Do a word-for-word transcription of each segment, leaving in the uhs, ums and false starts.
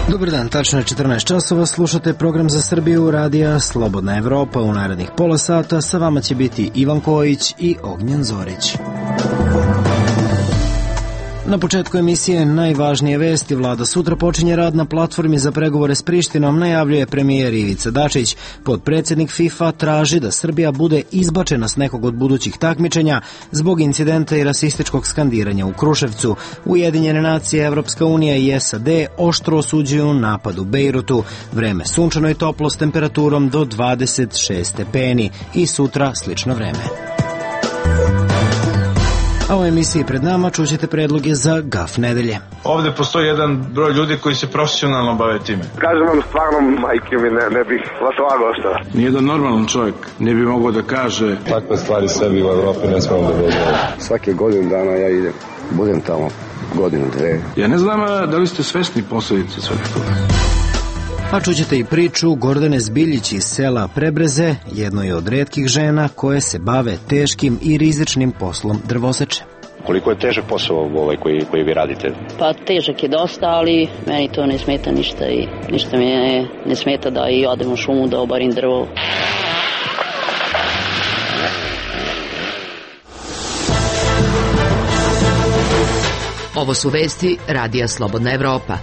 Dobar dan, tačno je četrnaest časova, slušate program za Srbiju radija Slobodna Evropa. U narednih pola sata sa vama će biti Ivan Kojić i Ognjen Zorić. Na početku emisije najvažnije vesti. Vlada sutra počinje rad na platformi za pregovore s Prištinom, najavljuje premijer Ivica Dačić. Potpredsjednik FIFA traži da Srbija bude izbačena s nekog od budućih takmičenja zbog incidenta i rasističkog skandiranja u Kruševcu. Ujedinjene nacije, Evropska unija i S A D oštro osuđuju napad u Bejrutu. Vreme sunčano i toplo s temperaturom do dvadeset šest stepeni i sutra slično vreme. A u emisiji pred nama čućete predloge za gaf nedelje. Ovde postoji jedan broj ljudi koji se profesionalno bave time. Kažem vam stvarno, majke mi, ne, ne bih vas lagao šta. Nijedan normalan čovjek ne bi mogao da kaže takve stvari sebi u Evropi ne smemo da dozvolimo. Svake godine dana ja idem, budem tamo godinu, dve. Ja ne znam da li ste svesni posledice svega toga. A čućete i priču Gordane Zbiljić iz sela Prebreze, jednoj od retkih žena koje se bave teškim i rizičnim poslom drvoseče. Koliko je težak posao ovaj koji, koji vi radite? Pa težak je dosta, ali meni to ne smeta ništa i ništa mi ne, ne smeta da i odem u šumu da obarim drvo. Ovo su vesti Radija Slobodna Evropa.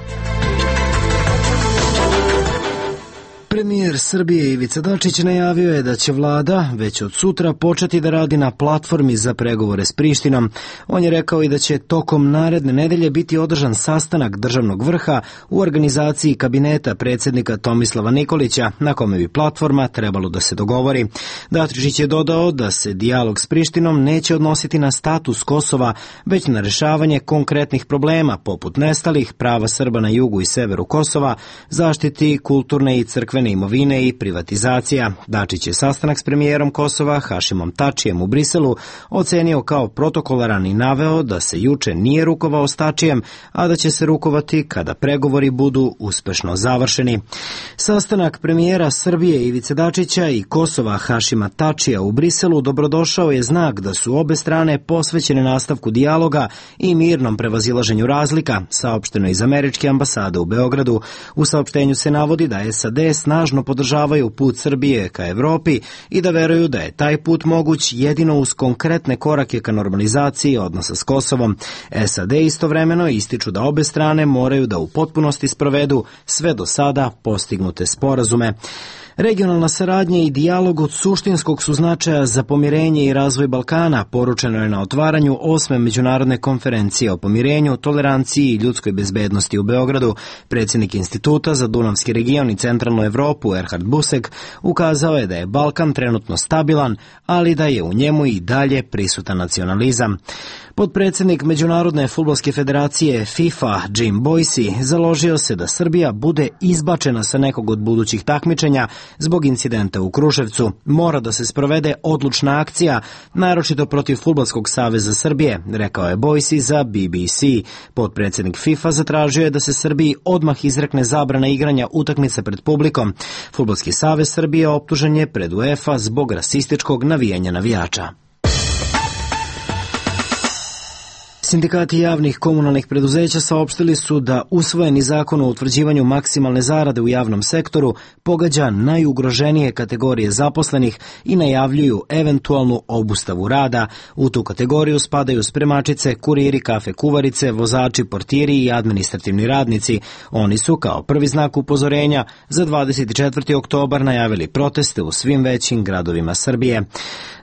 Premijer Srbije Ivica Dačić najavio je da će vlada već od sutra početi da radi na platformi za pregovore s Prištinom. On je rekao i da će tokom naredne nedelje biti održan sastanak državnog vrha u organizaciji kabineta predsjednika Tomislava Nikolića, na kome bi platforma trebalo da se dogovori. Dačić je dodao da se dijalog s Prištinom neće odnositi na status Kosova, već na rešavanje konkretnih problema poput nestalih, prava Srba na jugu i severu Kosova, zaštiti kulturne i crkvene imovine i privatizacija. Dačić je sastanak s premijerom Kosova Hašimom Tačijem u Briselu ocenio kao protokolaran i naveo da se juče nije rukovao s Tačijem, a da će se rukovati kada pregovori budu uspešno završeni. Sastanak premijera Srbije Ivice Dačića i Kosova Hašima Tačija u Briselu dobrodošao je znak da su obe strane posvećene nastavku dijaloga i mirnom prevazilaženju razlika, saopšteno iz američke ambasade u Beogradu. U saopštenju se navodi da S A D snažno podržavaju put Srbije ka Evropi i da veruju da je taj put moguć jedino uz konkretne korake ka normalizaciji odnosa s Kosovom. S A D istovremeno ističu da obe strane moraju da u potpunosti sprovedu sve do sada postignute sporazume. Regionalna saradnja i dijalog od suštinskog su značaja za pomirenje i razvoj Balkana, poručeno je na otvaranju osme međunarodne konferencije o pomirenju, toleranciji i ljudskoj bezbednosti u Beogradu. Predsjednik Instituta za Dunavski region i centralnu Evropu, Erhard Busek, ukazao je da je Balkan trenutno stabilan, ali da je u njemu i dalje prisutan nacionalizam. Potpredsjednik Međunarodne fudbalske federacije FIFA Jim Boyce založio se da Srbija bude izbačena sa nekog od budućih takmičenja zbog incidenta u Kruševcu. Mora da se sprovede odlučna akcija, naročito protiv Fudbalskog saveza Srbije, rekao je Boyce za B B C. Potpredsjednik FIFA zatražio je da se Srbiji odmah izrekne zabrana igranja utakmice pred publikom. Fudbalski savez Srbije optužen je pred UEFA zbog rasističkog navijanja navijača. Sindikati javnih komunalnih preduzeća saopštili su da usvojeni zakon o utvrđivanju maksimalne zarade u javnom sektoru pogađa najugroženije kategorije zaposlenih i najavljuju eventualnu obustavu rada. U tu kategoriju spadaju spremačice, kuriri, kafe kuvarice, vozači, portiri i administrativni radnici. Oni su kao prvi znak upozorenja za dvadeset četvrti oktobar najavili proteste u svim većim gradovima Srbije.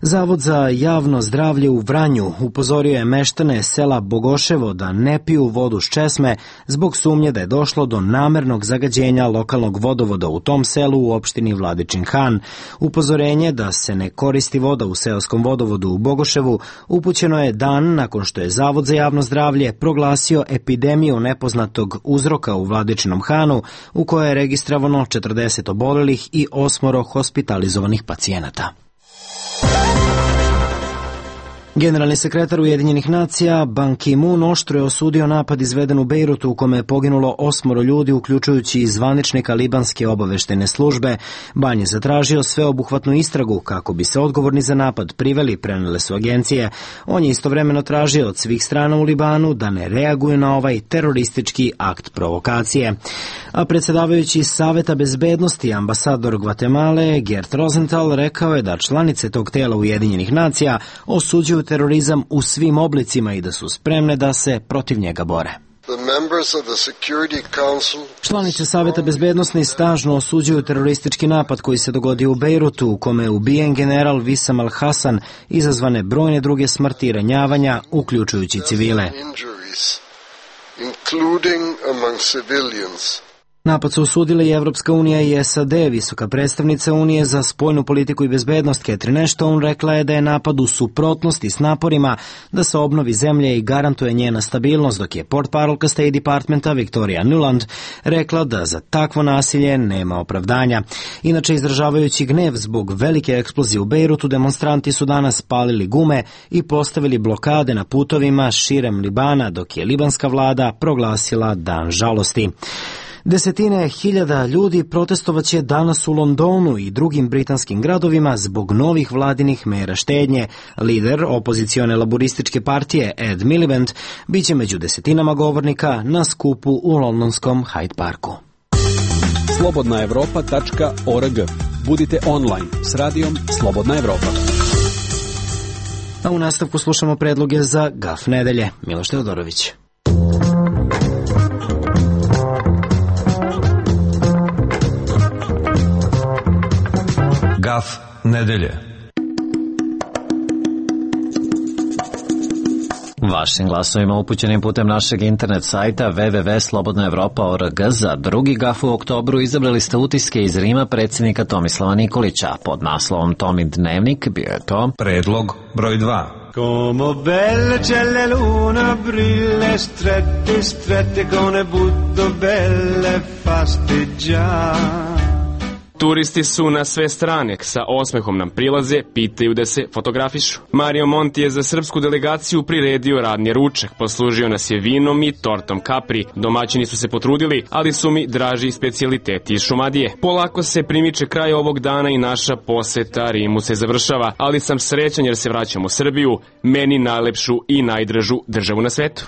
Zavod za javno zdravlje u Vranju upozorio je meštane sela Bogoševo da ne piju vodu s česme zbog sumnje da je došlo do namernog zagađenja lokalnog vodovoda u tom selu u opštini Vladičin Han. Upozorenje da se ne koristi voda u seoskom vodovodu u Bogoševu upućeno je dan nakon što je Zavod za javno zdravlje proglasio epidemiju nepoznatog uzroka u Vladičinom Hanu, u kojoj je registrovano četrdeset obolelih i osmoro hospitalizovanih pacijenata. Generalni sekretar Ujedinjenih nacija Ban Ki-moon oštro je osudio napad izveden u Bejrutu u kome je poginulo osmoro ljudi, uključujući i zvaničnika libanske obaveštajne službe. Ban je zatražio sveobuhvatnu istragu kako bi se odgovorni za napad priveli, prenele su agencije. On je istovremeno tražio od svih strana u Libanu da ne reaguju na ovaj teroristički akt provokacije. A predsjedavajući Saveta bezbednosti ambasador Gvatemale Gert Rosenthal rekao je da članice tog tela Ujedinjenih nacija osuđuju terorizam u svim oblicima i da su spremne da se protiv njega bore. Članice Saveta bezbednosti snažno osuđuju teroristički napad koji se dogodio u Bejrutu, u kome je ubijen general Wissam al-Hassan, izazvane brojne druge smrti i ranjavanja, uključujući civile. Napad su osudile i Evropska unija i S A D. Visoka predstavnica Unije za spoljnu politiku i bezbednost Catherine Ashton rekla je da je napad u suprotnosti s naporima da se obnovi zemlje i garantuje njena stabilnost, dok je portparolka State Departmenta Victoria Nuland rekla da za takvo nasilje nema opravdanja. Inače, izražavajući gnev zbog velike eksplozije u Bejrutu, demonstranti su danas palili gume i postavili blokade na putovima širem Libana, dok je libanska vlada proglasila dan žalosti. Desetine hiljada ljudi protestovaće danas u Londonu i drugim britanskim gradovima zbog novih vladinih mera štednje. Lider opozicione laborističke partije Ed Miliband biće među desetinama govornika na skupu u londonskom Hyde Parku. slobodna evropa tačka org. Budite online s radijom Slobodna Evropa. A u nastavku slušamo predloge za Gaf nedelje. Miloš Teodorović. Gaf nedelje. Vašim glasovima upućenim putem našeg internet sajta w w w tačka slobodna evropa tačka org za drugi Gaf u oktobru izabrali ste utiske iz Rima predsjednika Tomislava Nikolića. Pod naslovom Tomi dnevnik bio je to predlog broj dva. Como belle c'è la luna brille strette strette con le butto belle fasteggiare. Turisti su na sve strane, sa osmehom nam prilaze, pitaju da se fotografišu. Mario Monti je za srpsku delegaciju priredio radni ručak, poslužio nas je vinom i tortom kapri. Domaćini su se potrudili, ali su mi draži specijaliteti iz Šumadije. Polako se primiče kraj ovog dana i naša poseta Rimu se završava, ali sam srećan jer se vraćam u Srbiju, meni najlepšu i najdražu državu na svetu.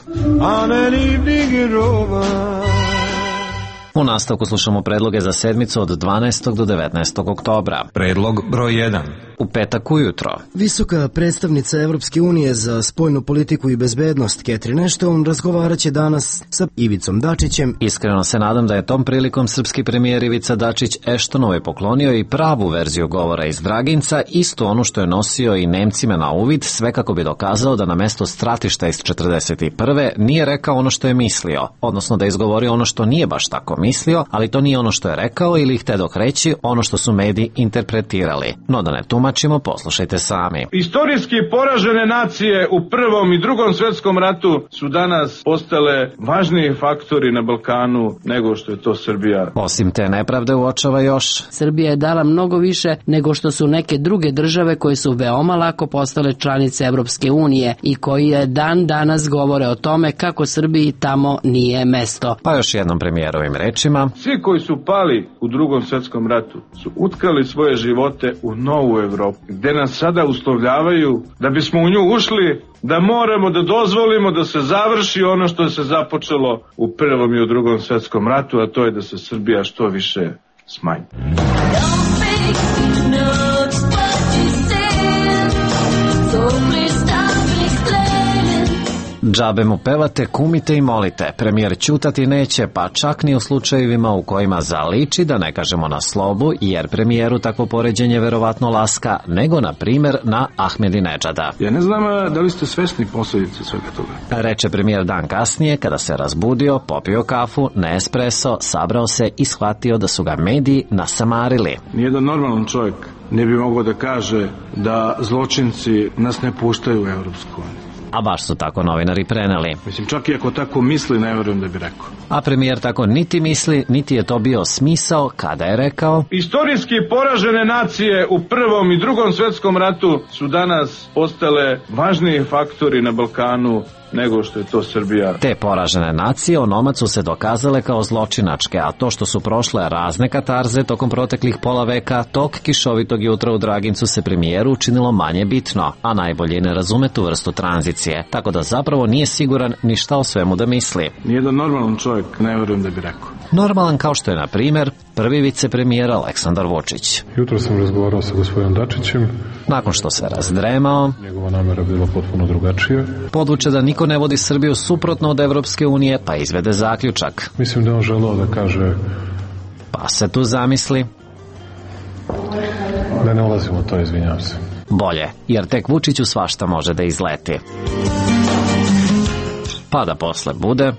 U nastavku slušamo predloge za sedmicu od dvanaestog do devetnaestog oktobra. Predlog broj jedan. U petak ujutro. Visoka predstavnica Evropske unije za spoljnu politiku i bezbednost Catherine Ashton razgovarat će danas sa Ivicom Dačićem. Iskreno se nadam da je tom prilikom srpski premijer Ivica Dačić Ashtonove poklonio i pravu verziju govora iz Draginca, isto ono što je nosio i Nemcima na uvid, sve kako bi dokazao da na mesto stratišta iz četrdeset prve nije rekao ono što je mislio, odnosno da je izgovorio ono što nije baš tako mislio, ali to nije ono što je rekao ili hteo dok reći ono što su mediji interpretirali. No da ne tumačimo, poslušajte sami. Istorijski poražene nacije u Prvom i Drugom svjetskom ratu su danas postale važniji faktori na Balkanu nego što je to Srbija. Osim te nepravde uočava još. Srbija je dala mnogo više nego što su neke druge države koje su veoma lako postale članice Evropske unije i koji je dan danas govore o tome kako Srbiji tamo nije mesto. Pa još jednom premijerovim rečima. Svi koji su pali u Drugom svjetskom ratu su utkali svoje živote u novu Evropu, gde nas sada uslovljavaju da bismo u nju ušli, da moramo da dozvolimo da se završi ono što se započelo u Prvom i u Drugom svjetskom ratu, a to je da se Srbija što više smanji. Džabe mu pevate, kumite i molite. Premijer ćutati neće, pa čak ni u slučajevima u kojima zaliči, da ne kažemo na slobu, jer premijeru takvo poređenje verovatno laska, nego na primjer na Ahmedinedžada. Ja ne znam da li ste svesni posljedice svega toga. Reče premijer dan kasnije, kada se razbudio, popio kafu, ne espresso, sabrao se i shvatio da su ga mediji nasamarili. Nijedan normalan čovjek ne bi mogao da kaže da zločinci nas ne puštaju u Evropsku uniju. A baš su tako novinari preneli. Mislim, čak i ako tako misli, ne verujem da bi rekao. A premijer tako niti misli, niti je to bio smisao kada je rekao: istorijski poražene nacije u Prvom i Drugom svetskom ratu su danas postale važniji faktori na Balkanu nego što je to Srbija. Te poražene nacije onomad su se dokazale kao zločinačke, a to što su prošle razne katarze tokom proteklih pola veka, tog kišovitog jutra u Dragincu se premijeru učinilo manje bitno, a najbolje ne razume tu vrstu tranzicije, tako da zapravo nije siguran ni šta o svemu da misli. Nijedan normalan čovjek, ne verujem da bi rekao. Normalan kao što je, na primjer, prvi vicepremijer Aleksandar Vučić. Jutro sam razgovarao sa gospodinom Dačićem. Nakon što se razdremao, njegova namera bila potpuno drugačija. Podvuče da niko ne vodi Srbiju suprotno od Evropske unije, pa izvede zaključak. Mislim da on želeo da kaže... Pa se tu zamisli... Da ne ulazimo u to, izvinjavam se. Bolje, jer tek Vučiću svašta može da izleti. Pa da posle bude...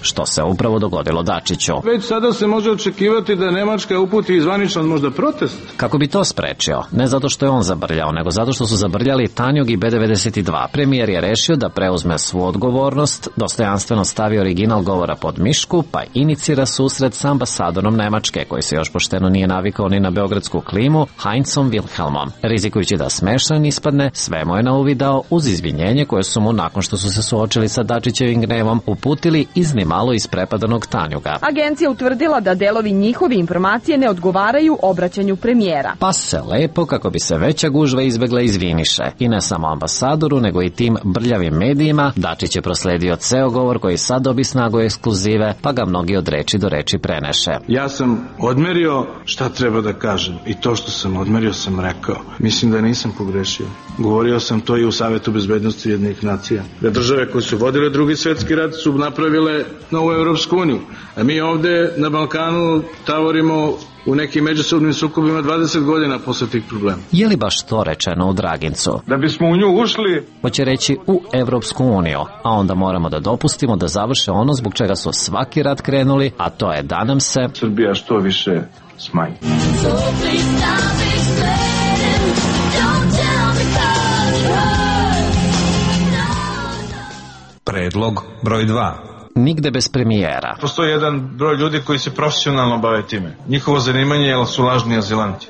što se upravo dogodilo Dačiću. Već sada se može očekivati da Nemačka uputi zvaničan možda protest. Kako bi to sprečio? Ne zato što je on zabrljao, nego zato što su zabrljali Tanjug i be devedeset dva. Premijer je rešio da preuzme svu odgovornost, dostojanstveno stavi original govora pod mišku, pa inicira susret sa ambasadorom Nemačke, koji se još pošteno nije navikao ni na beogradsku klimu, Heinzom Wilhelmom. Rizikujući da smešan ispadne, sve mu je na uvid dao uz izvinjenje koje su mu, nakon što su se suočili sa Dačićevim gnevom, uputili iznimno malo isprepadanog Tanjuga. Agencija utvrdila da delovi njihove informacije ne odgovaraju obraćanju premijera. Pa se lepo, kako bi se veća gužva izbegla, izviniše. I ne samo ambasadoru, nego i tim brljavim medijima. Dačić je prosledio ceo govor koji sad dobi snagu ekskluzive, pa ga mnogi od reči do reči preneše. Ja sam odmerio šta treba da kažem i to što sam odmerio sam rekao. Mislim da nisam pogrešio. Govorio sam to i u Savetu bezbednosti Ujedinjenih nacija. Da države koje su vodile Drugi svetski rat su napravile novu Evropsku uniju. A mi ovde na Balkanu tavorimo u nekim međusobnim sukobima dvadeset godina posle tih problema. Je li baš to rečeno u Dragincu? Da bismo u nju ušli... Hoće reći u Evropsku uniju, a onda moramo da dopustimo da završe ono zbog čega su svaki rat krenuli, a to je da nam se... Srbija što više smanji. Predlog broj dva. Nigde bez premijera. Postoji jedan broj ljudi koji se profesionalno bave time. Njihovo zanimanje je su lažni azilanti.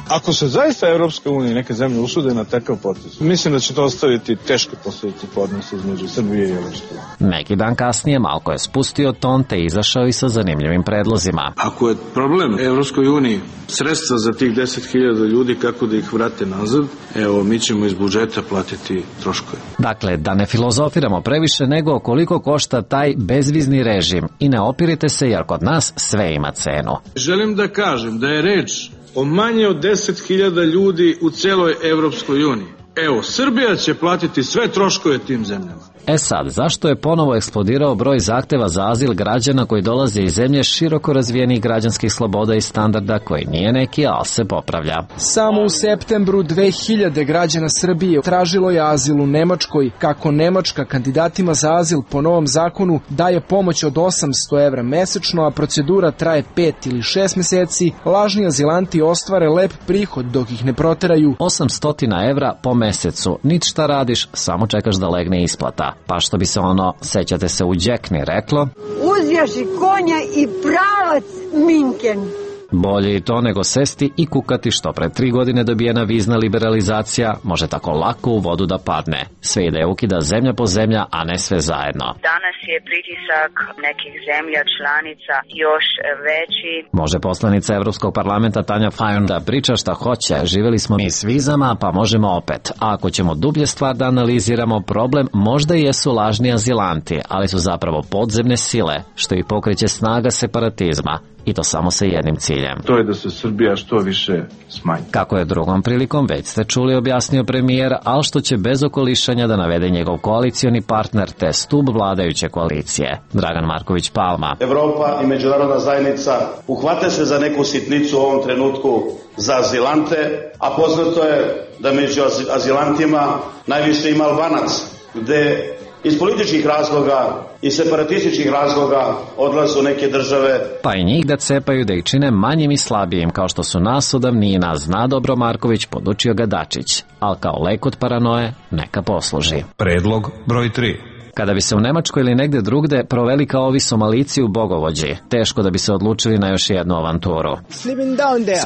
Ako se zaista Evropska unija i neke zemlje usude na takav potez, mislim da će to ostaviti teške posljedice po odnosu između Srbije i Evropske unije. Neki dan kasnije Malko je spustio ton te izašao i sa zanimljivim predlozima. Ako je problem Evropskoj uniji sredstva za tih deset hiljada ljudi, kako da ih vrate nazad, evo, mi ćemo iz budžeta platiti troškove. Dakle, da ne filozofiramo previše, nego koliko košta taj bezvizni režim i ne opirite se, jer kod nas sve ima cenu. Želim da kažem da je reč o manje od deset hiljada ljudi u celoj Evropskoj uniji. Evo, Srbija će platiti sve troškove tim zemljama. E sad, zašto je ponovo eksplodirao broj zahteva za azil građana koji dolaze iz zemlje široko razvijenih građanskih sloboda i standarda, koji nije neki, ali se popravlja? Samo u septembru dve hiljade građana Srbije tražilo je azil u Nemačkoj. Kako Nemačka kandidatima za azil po novom zakonu daje pomoć od osamsto evra mesečno, a procedura traje pet ili šest meseci, lažni azilanti ostvare lep prihod dok ih ne proteraju. osamsto evra po mesecu. Nič šta radiš, samo čekaš da legne isplata. Pa što bi se ono, sećate se, u Đekni reklo: uzjaši konja i pravac Minken. Bolje i to nego sesti i kukati što pre tri godine dobijena vizna liberalizacija može tako lako u vodu da padne. Sve ide ukida zemlja po zemlja, a ne sve zajedno. Danas je pritisak nekih zemlja članica još veći. Može poslanica Evropskog parlamenta Tanja Fajon da priča šta hoće. Živeli smo mi s vizama, pa možemo opet. A ako ćemo dublje stvar da analiziramo, problem možda jesu lažni azilanti, ali su zapravo podzemne sile, što i pokreće snaga separatizma. I to samo sa jednim ciljem. To je da se Srbija što više smanji. Kako je drugom prilikom, već ste čuli, objasnio premijer, ali što će bez okolišanja da navede njegov koalicioni partner te stub vladajuće koalicije, Dragan Marković Palma. Evropa i međunarodna zajednica uhvate se za neku sitnicu u ovom trenutku za azilante, a poznato je da među azilantima najviše ima Albanac, gde iz političkih razloga i separatističkih razloga odlaze u neke države. Pa i njih da cepaju, da ih čine manjim i slabijim, kao što su nas od davnina, zna dobro Marković, podučio ga Dačić, ali kao lek od paranoje neka posluži. Predlog broj tri. Kada bi se u Nemačkoj ili negde drugde proveli kao ovi Somalici u Bogovođi, teško da bi se odlučili na još jednu avanturu.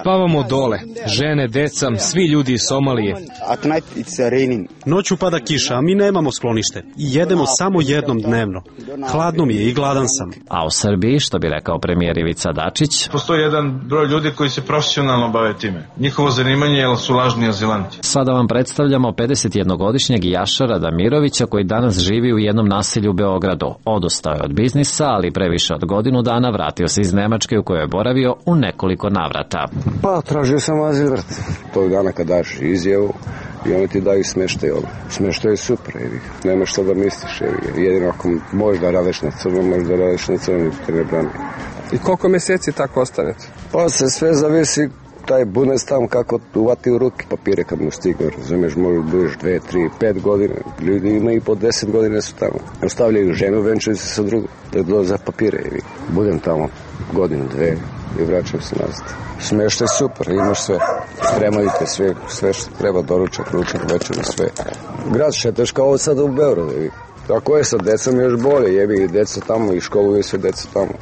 Spavamo dole, žene, deca, svi ljudi iz Somalije. Noću pada kiša, a mi nemamo sklonište. I jedemo samo jednom dnevno. Hladno mi je i gladan sam. A u Srbiji, što bi rekao premijer Ivica Dačić, postoji jedan broj ljudi koji se profesionalno bave time. Njihovo zanimanje je su lažni azilanti. Sada vam predstavljamo pedesetjednogodišnjeg Jašara Damirovića koji danas živi u jednom naselju u Beogradu. Odustao je od biznisa, ali previše od godinu dana vratio se iz Nemačke u kojoj je boravio u nekoliko navrata. Pa, tražio sam azil, vrat. Tog dana kad daš izjavu i oni ti daju smeštaj ovdje. Smeštaj je super, jevi. Nema što da misliš, jevi. Jedino ako možeš da radiš na crno, možeš da radiš na crno, te ne brani. I koliko mjeseci tako ostanete? Pa se sve zavisi taj bunes tam kako uvati u ruke papire kad mu stigne, razumiješ, možeš budeš dve, tri, pet godine, ljudi ima i po deset godine su tamo. Ostavljaju ženu, venčuju se sa drugom, da dolaze za papire i budem tamo godinu, dve i vraćam se nazad. Smeštaj je super, imaš sve, spremaju te sve, sve što treba, doručak, ručak, večer, sve. Grad šetaš kao ovo sada u Beogradu, jevi. Tako je sa decom još bolje, jevi i deca tamo i školuju sve deca tamo.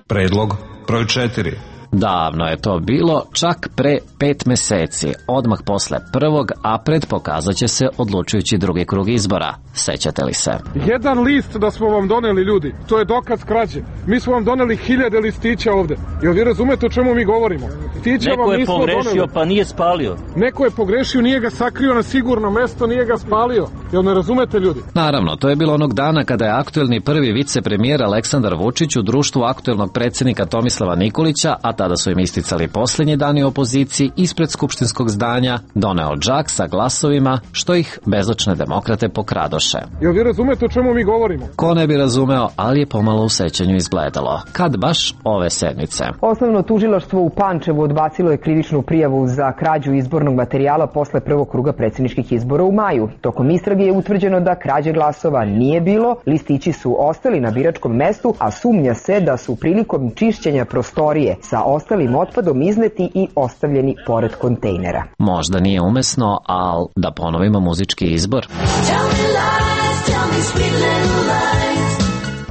Predlog broj četiri. Davno je to bilo, čak pre pet meseci, odmah posle prvog, a pred pokazat će se odlučujući drugi krug izbora. Sećate li se? Jedan list da smo vam doneli, ljudi, to je dokaz krađe. Mi smo vam doneli hiljade listića ovde. Jel vi razumete o čemu mi govorimo? Stića Neko je pogrešio doneli. Pa nije spalio. Neko je pogrešio, nije ga sakrio na sigurno mesto, nije ga spalio. Jel ne razumete, ljudi? Naravno, to je bilo onog dana kada je aktuelni prvi vicepremijer Aleksandar Vučić u društvu aktuelnog predsjednika Tomislava Nikolića, a tada su im isticali posljednji dani opoziciji, ispred skupštinskog zdanja doneo džak sa glasovima, što ih bezočne demokrate pokradoše. Jel vi razumete o čemu mi govorimo? Ko ne bi razumeo, ali je pomalo u sećanju izgledalo. Kad baš ove sedmice. Osnovno tužilaštvo u Pančevu odbacilo je krivičnu prijavu za krađu izbornog materijala posle prvog kruga predsjedničkih izbora u maju. Tokom istrage je utvrđeno da krađe glasova nije bilo, listići su ostali na biračkom mestu, a sumnja se da su prilikom čišćenja prostorije sa ostalim otpadom izneti i ostavljeni pored kontejnera. Možda nije umesno, ali da ponovimo muzički izbor.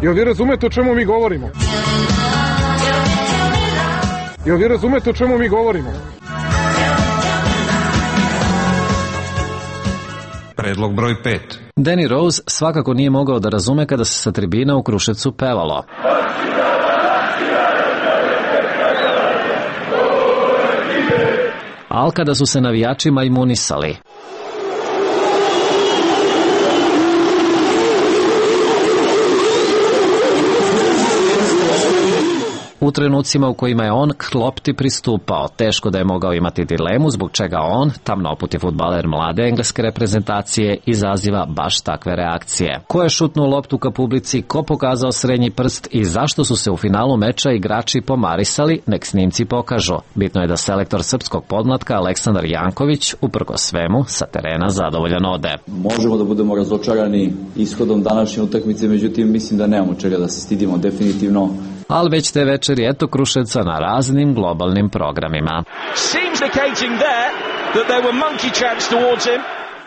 Jel vi razumete o čemu mi govorimo? Jel vi razumete o čemu mi govorimo? Predlog broj pet. Danny Rose svakako nije mogao da razume kada se sa tribina u Kruševcu pevalo. Al kada su se navijači majmunisali. U trenucima u kojima je on klopti pristupao, teško da je mogao imati dilemu zbog čega on, tamnoputi fudbaler mlade engleske reprezentacije, izaziva baš takve reakcije. Ko je šutnuo loptu ka publici, ko pokazao srednji prst i zašto su se u finalu meča igrači pomarisali, nek snimci pokažu. Bitno je da selektor srpskog podmlatka Aleksandar Janković, uprkos svemu, sa terena zadovoljan ode. Možemo da budemo razočarani ishodom današnje utakmice, međutim mislim da nemamo čega da se stidimo definitivno. Ali već te večeri eto Kruševca na raznim globalnim programima.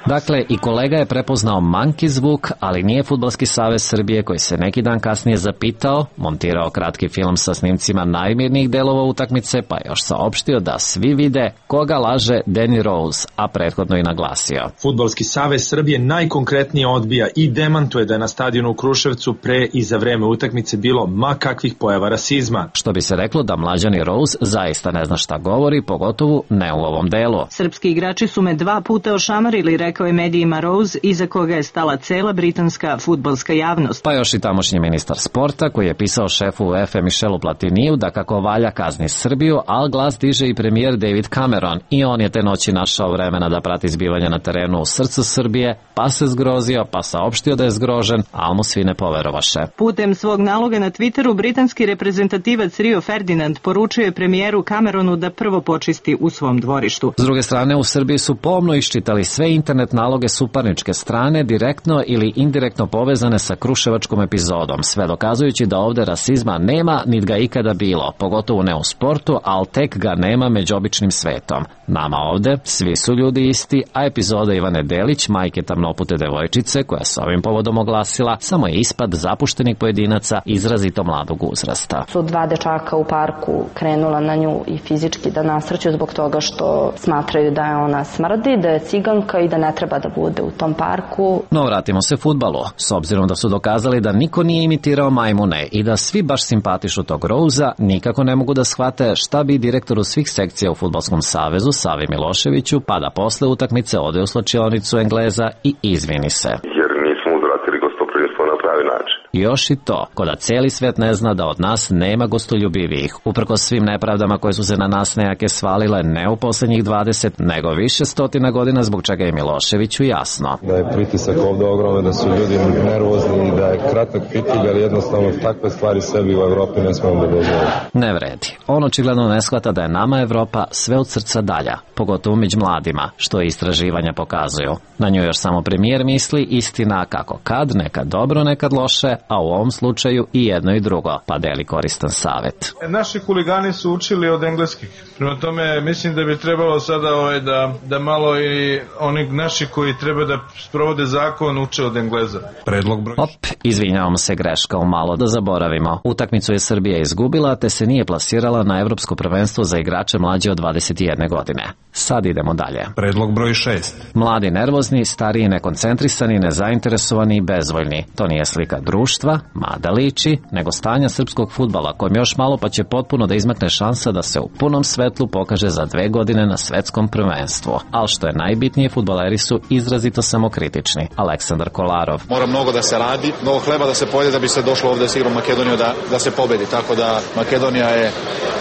Dakle, i kolega je prepoznao monkey zvuk, ali nije Fudbalski savez Srbije koji se neki dan kasnije zapitao, montirao kratki film sa snimcima najmirnijih delova utakmice, pa još saopštio da svi vide koga laže Danny Rose, a prethodno i naglasio. Fudbalski savez Srbije najkonkretnije odbija i demantuje da je na stadionu u Kruševcu pre i za vreme utakmice bilo ma kakvih pojava rasizma. Što bi se reklo da mlađani Rose zaista ne zna šta govori, pogotovo ne u ovom delu. Srpski igrači su me dva puta ošamarili, rekao je medijima Rose, iza koga je stala cela britanska fudbalska javnost. Pa još i tamošnji ministar sporta koji je pisao šefu UEFA Michelu Platiniju da kako valja kazni Srbiju, al glas diže i premijer David Cameron i on je te noći našao vremena da prati zbivanja na terenu u srcu Srbije, pa se zgrozio, pa saopštio da je zgrožen, al mu svi ne poverovaše. Putem svog naloga na Twitteru britanski reprezentativac Rio Ferdinand poručio je premijeru Cameronu da prvo počisti u svom dvorištu. S druge strane, u Srbiji su pomno iščitali sve internet naloge suparničke strane, direktno ili indirektno povezane sa kruševačkom epizodom, sve dokazujući da ovde rasizma nema, nit ga ikada bilo, pogotovo ne u sportu, al tek ga nema među običnim svetom. Nama ovde svi su ljudi isti, a epizoda Ivane Delić, majke tamnopute devojčice, koja se ovim povodom oglasila, samo je ispad zapuštenih pojedinaca izrazito mladog uzrasta. Su dva dečaka u parku krenula na nju i fizički da nasrću zbog toga što smatraju da je ona smrdi, da je ciganka i da ne treba da bude u tom parku. No vratimo se fudbalu. S obzirom da su dokazali da niko nije imitirao majmune i da svi baš simpatišu tog Rouza, nikako ne mogu da shvate šta bi direktoru svih sekcija u Fudbalskom savezu Savi Miloševiću, pa da posle utakmice ode u slačionicu Engleza i izvini se. Jer nismo uzvratili gostoprimstvo na pravi način. Još i to, ko da cijeli svet ne zna da od nas nema gostoljubivijih, uprkos svim nepravdama koje su se na nas nejake svalile ne u poslednjih dvadeset, nego više stotina godina, zbog čega je Miloševiću jasno. Da je pritisak ovde ogroman, da su ljudi nervozni i da je kratak pitilj, ali jednostavno takve stvari sebi u Evropi ne smemo da dozvolimo. Ne vredi. On očigledno ne shvata da je nama Evropa sve od srca dalja, pogotovo među mladima, što i istraživanja pokazuju. Na nju još samo premijer misli, istina kako kad, nekad dobro, nekad loše, a u ovom slučaju i jedno i drugo, pa deli koristan savet. Naši huligani su učili od engleskih. Prema tome, mislim da bi trebalo sada ovaj, da, da malo i oni naši koji treba da sprovode zakon uče od Engleza. Predlog broj... Op, izvinjavamo se, greška u malo, da zaboravimo. Utakmicu je Srbija izgubila, te se nije plasirala na evropsko prvenstvo za igrače mlađe od dvadeset jedne godine. Sad idemo dalje. Predlog broj šest. Mladi nervozni, stariji nekoncentrisani, nezainteresovani i bezvoljni. To nije slika društva, mada liči, nego stanja srpskog fudbala, kojem još malo pa će potpuno da izmakne šansa da se u punom svetlu pokaže za dve godine na svetskom prvenstvu. Ali što je najbitnije, fudbaleri su izrazito samokritični. Aleksandar Kolarov. Mora mnogo da se radi, mnogo hleba da se pojede da bi se došlo ovde s igrom Makedoniju da, da se pobedi. Tako da Makedonija je,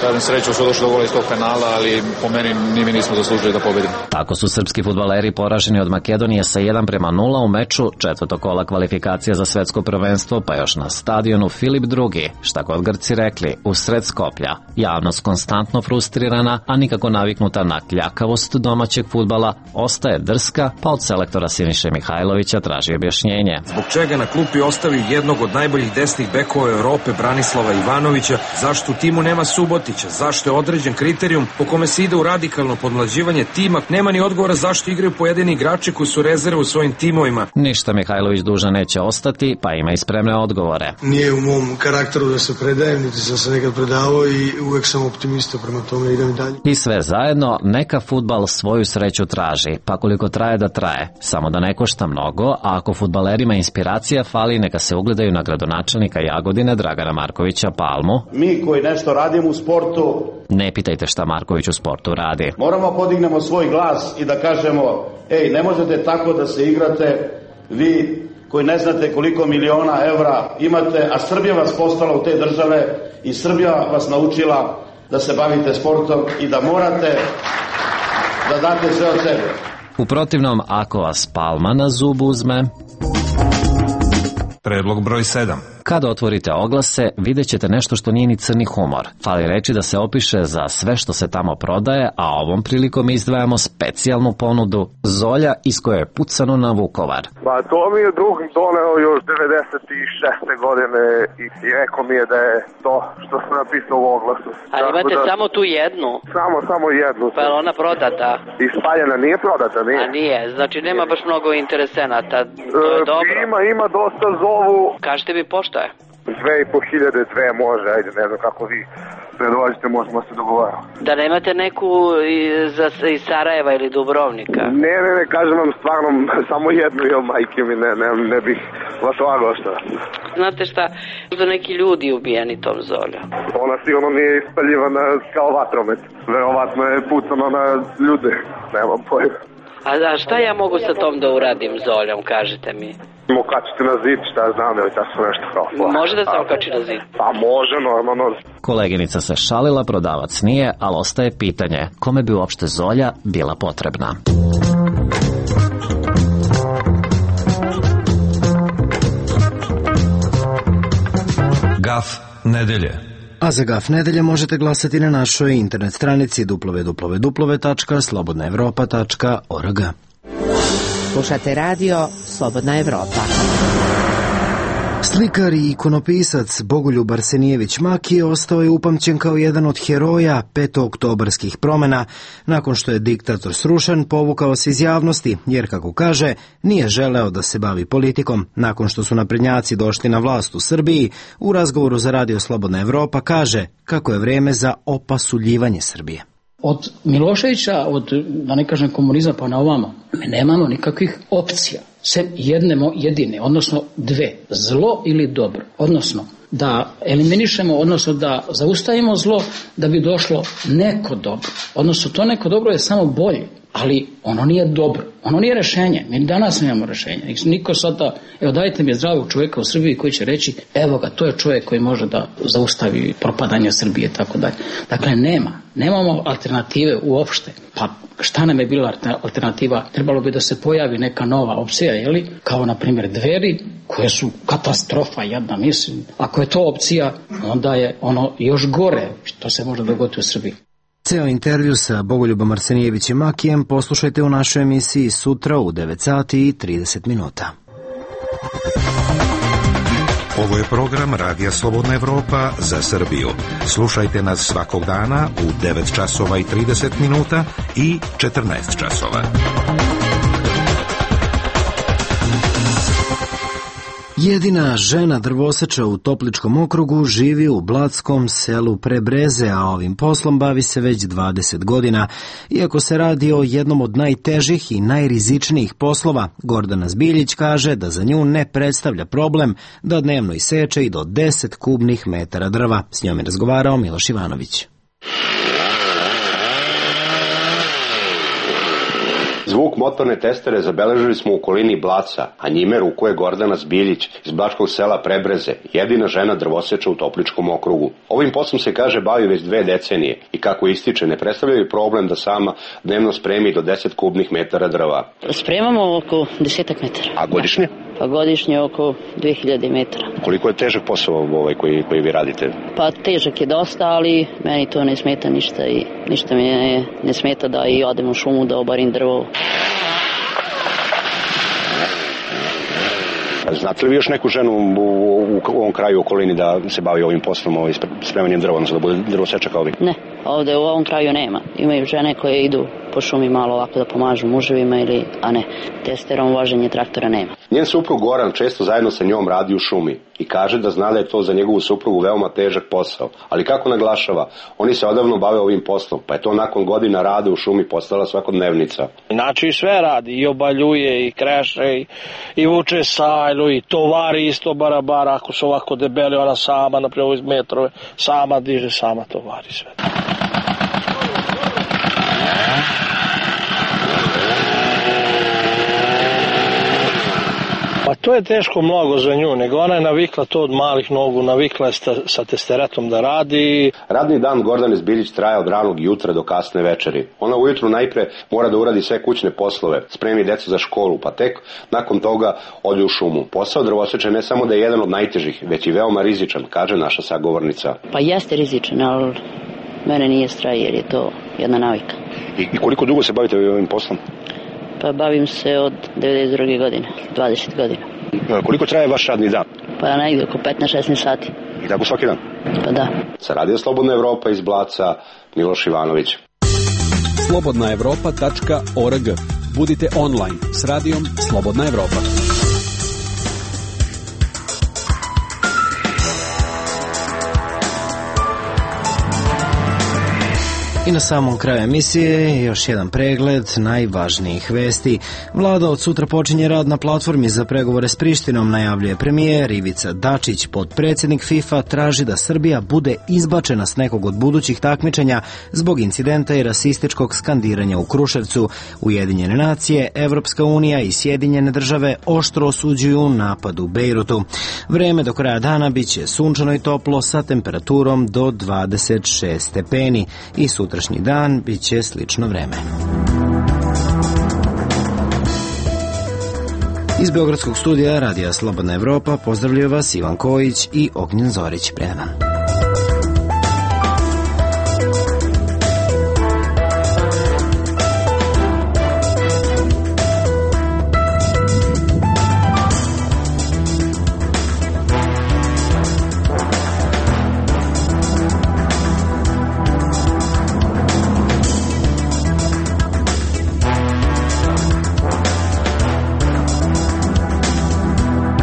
kažem, sreću su došli do gola iz tog penala, ali po meni ni mi nismo zaslužili da pobedimo. Tako su srpski fudbaleri poraženi od Makedonije sa jedan prema nula u meču četvrtog kola kvalifikacija za svetsko prvenstvo, pa još na stadionu Filip drugi, šta god Grci rekli, usred Skoplja. Javnost konstantno frustrirana, a nikako naviknuta na kljakavost domaćeg fudbala, ostaje drska, pa od selektora Siniše Mihajlovića traži objašnjenje. Zbog čega na klupi ostavi jednog od najboljih desnih bekova Europe Branislava Ivanovića, zašto u timu nema Subotića, zašto je određen kriterijum po kome se ide u radikalno podmlađivanje tima, nema ni odgovora zašto igraju pojedini igrači koji su rezerve u svojim timovima. Ništa Mihajlović dužan neće ostati, pa ima i spremne odgovore. Nije u mom karakteru da se predajem, niti sam se nekad predavao i uvek sam optimista, prema tome idem dalje. I sve zajedno, neka fudbal svoju sreću traži, pa koliko traje da traje, samo da ne košta mnogo, a ako fudbalerima inspiracija fali, neka se ugledaju na gradonačelnika Jagodine Dragana Markovića Palmu. Mi koji nešto radimo u sportu, ne pitajte šta Marković u sportu radi. Moramo podignemo svoj glas i da kažemo, ej, ne možete tako da se igrate, vi koji ne znate koliko miliona evra imate, a Srbija vas poslala u te države i Srbija vas naučila da se bavite sportom i da morate da date sve od sebe. U protivnom, ako vas Palma na zub uzme... Predlog broj sedam. Kada otvorite oglase, vidjet ćete nešto što nije ni crni humor. Fali reći da se opiše za sve što se tamo prodaje, a ovom prilikom izdvajamo specijalnu ponudu Zolja iz koje je pucano na Vukovar. Pa to mi je drug doneo još devedeset šeste godine i rekao mi je da je to što sam napisao u oglasu. Ali imate da... samo tu jednu? Samo, samo jednu. Pa je ona prodata? Ispaljena, nije prodata, nije. A nije, znači nema baš mnogo interesenata. To je e, dobro. Ima, ima dosta zovu. Kažete mi pošto je? Dve i po hiljade, dve može, ajde, ne znam kako vi predložite, možemo se dogovarati. Da nemate neku iz, iz Sarajeva ili Dubrovnika? Ne, ne, ne, kažem vam stvarno, samo jednu ili majke mi, ne, ne, ne bih vas lagao šta. Znate šta, da neki ljudi ubijeni tom Zoljom. Ona sigurno nije ispaljivana kao vatromet, verovatno je pucano na ljude, nemam pojma. A, a šta ja mogu sa tom da uradim Zoljom, kažete mi? Okačite na zid, šta ja znam da je tako nešto kao. Može da se okači na zid? Pa može, normalno. Koleginica se šalila, prodavac nije, ali ostaje pitanje kome bi uopšte Zolja bila potrebna. Gaf nedelje. A za Gaf nedelje možete glasati na našoj internet stranici w w w tačka slobodna evropa tačka org. Slušate radio Slobodna Evropa. Slikar i ikonopisac Bogoljub Arsenijević Makije ostao je upamćen kao jedan od heroja petooktobarskih promena. Nakon što je diktator srušen, povukao se iz javnosti, jer, kako kaže, nije želeo da se bavi politikom. Nakon što su naprednjaci došli na vlast u Srbiji, u razgovoru za radio Slobodna Evropa kaže kako je vreme za opasuljivanje Srbije. Od Miloševića, od, da ne kažem komunizma pa na ovamo, mi nemamo nikakvih opcija, sve jedne jedine, odnosno dve, zlo ili dobro, odnosno da eliminišemo, odnosno da zaustavimo zlo da bi došlo neko dobro, odnosno to neko dobro je samo bolje, ali ono nije dobro, ono nije rešenje, mi danas nemamo rešenja, niko sada, evo dajte mi zdravog čovjeka u Srbiji koji će reći, evo ga, to je čovjek koji može da zaustavi propadanje Srbije i tako dalje. Dakle, nema, nemamo alternative uopšte, pa šta nam je bila alternativa? Trebalo bi da se pojavi neka nova opcija, jeli? Kao na primjer Dveri, koje su katastrofa jedna, mislim. Ako je to opcija, onda je ono još gore što se može dogoditi u Srbiji. Ceo intervju sa Bogoljubom Arsenijevićem Makijem poslušajte u našoj emisiji sutra u devet sati i trideset minuta. Ovo je program Radija Slobodna Evropa za Srbiju. Slušajte nas svakog dana u devet časova i trideset minuta i četrnaest časova. Jedina žena drvoseča u Topličkom okrugu živi u blatskom selu Prebreze, a ovim poslom bavi se već dvadeset godina. Iako se radi o jednom od najtežih i najrizičnijih poslova, Gordana Zbiljić kaže da za nju ne predstavlja problem da dnevno iseče i do deset kubnih metara drva. S njom je razgovarao Miloš Ivanović. Zvuk motorne testere zabeležili smo u okolini Blaca, a njime rukuje Gordana Zbiljić iz blačkog sela Prebreze, jedina žena drvoseča u Topličkom okrugu. Ovim poslom se kaže bavi već dve decenije i kako ističe ne predstavljaju problem da sama dnevno spremi do deset kubnih metara drva. Spremamo oko desetak metara. A godišnje? Pa godišnje oko dve hiljade metara. Koliko je težak posao ovaj koji, koji vi radite? Pa težak je dosta, ali meni to ne smeta ništa i ništa mi ne, ne smeta da i odem u šumu da obarim drvo. Znate li vi još neku ženu u, u, u ovom kraju u okolini da se bavi ovim poslom, ovaj, spremanjem drva, odnosno da bude drvoseča kao vi? Ne, ovde u ovom kraju nema. Imaju žene koje idu po šumi malo ovako da pomažu muževima, ili, a ne, testerom voženje traktora nema. Njen suprug Goran često zajedno sa njom radi u šumi i kaže da zna da je to za njegovu suprugu veoma težak posao. Ali kako naglašava, oni se odavno bave ovim poslom, pa je to nakon godina rada u šumi postala svakodnevnica. Znači sve radi, i obaljuje, i kreše, i, i vuče sajlu, i tovari isto barabara, ako su ovako debeli, ona sama, naprijed iz metrove, sama diže, sama tovari sve. Pa to je teško mnogo za nju, nego ona je navikla to od malih nogu, navikla je sta, sa testeretom da radi. Radni dan Gordane Zbiljić traje od ranog jutra do kasne večeri. Ona ujutru najpre mora da uradi sve kućne poslove, spremi decu za školu, pa tek nakon toga ode u šumu. Posao drvoseča ne samo da je jedan od najtežih, već i veoma rizičan, kaže naša sagovornica. Pa jeste rizičan, ali mene nije strah jer je to jedna navika. I, i koliko dugo se bavite ovim poslom? Pa bavim se od devedeset druge godine, dvadeset godina. Koliko traje vaš radni dan? Pa negdje oko petnaest šesnaest sati. I tako svaki dan? Pa da. Sa Radio Slobodna Evropa iz Blaca, Miloš Ivanović. slobodna evropa tačka org. Budite online s radijom Slobodna Evropa. I na samom kraju emisije još jedan pregled najvažnijih vesti. Vlada od sutra počinje rad na platformi za pregovore s Prištinom, najavljuje premijer Ivica Dačić. Potpredsjednik FIFA traži da Srbija bude izbačena s nekog od budućih takmičenja zbog incidenta i rasističkog skandiranja u Kruševcu. Ujedinjene nacije, Evropska unija i Sjedinjene države oštro osuđuju napad u Bejrutu. Vreme do kraja dana biće sunčano i toplo sa temperaturom do dvadeset šest stepeni i sutrašnji dan biće slično vreme. Iz Beogradskog studija Radija Slobodna Evropa pozdravljaju vas Ivan Kojić i Ognjen Zorić. Predan.